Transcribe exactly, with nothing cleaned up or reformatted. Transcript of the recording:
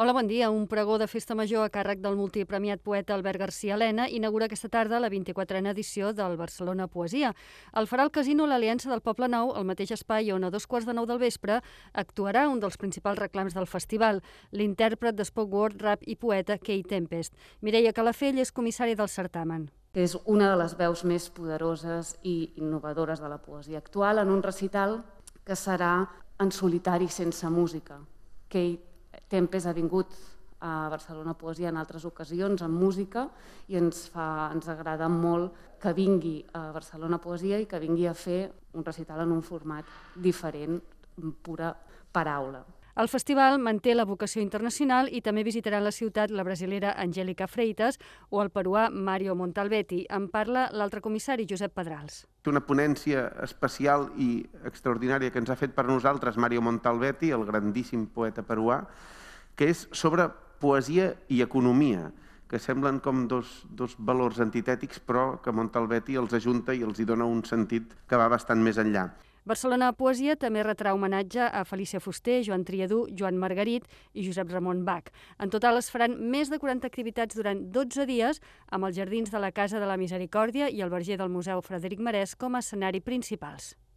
Hola, bon dia. Un pregó de festa major a càrrec del multipremiat poeta Albert García Elena inaugura aquesta tarda la vint-i-quatrena edició del Barcelona Poesia. El farà el Casino l'Aliança del Poble Nou, el mateix espai on a dos quarts de nou del vespre actuarà un dels principals reclams del festival, l'intèrpret de spoken word, rap i poeta Kay Tempest. Mireia Calafell és comissària del certamen. És una de les veus més poderoses i innovadores de la poesia actual en un recital que serà en solitari sense música. Kay Tempest ha vingut a Barcelona Poesia en altres ocasions amb música i ens, fa, ens agrada molt que vingui a Barcelona Poesia i que vingui a fer un recital en un format diferent, pura paraula. El festival manté la vocació internacional i també visitaran la ciutat la brasilera Angélica Freitas o el peruà Mario Montalbetti. En parla l'altre comissari, Josep Pedrals. Una ponència especial i extraordinària que ens ha fet per nosaltres Mario Montalbetti, el grandíssim poeta peruà, que és sobre poesia i economia, que semblen com dos, dos valors antitètics, però que Montalbetti els ajunta i els hi dona un sentit que va bastant més enllà. Barcelona Poesia també retrà homenatge a Felícia Fuster, Joan Triadú, Joan Margarit i Josep Ramon Bach. En total es faran més de quaranta activitats durant dotze dies amb els jardins de la Casa de la Misericòrdia i el verger del Museu Frederic Marès com a escenari principals.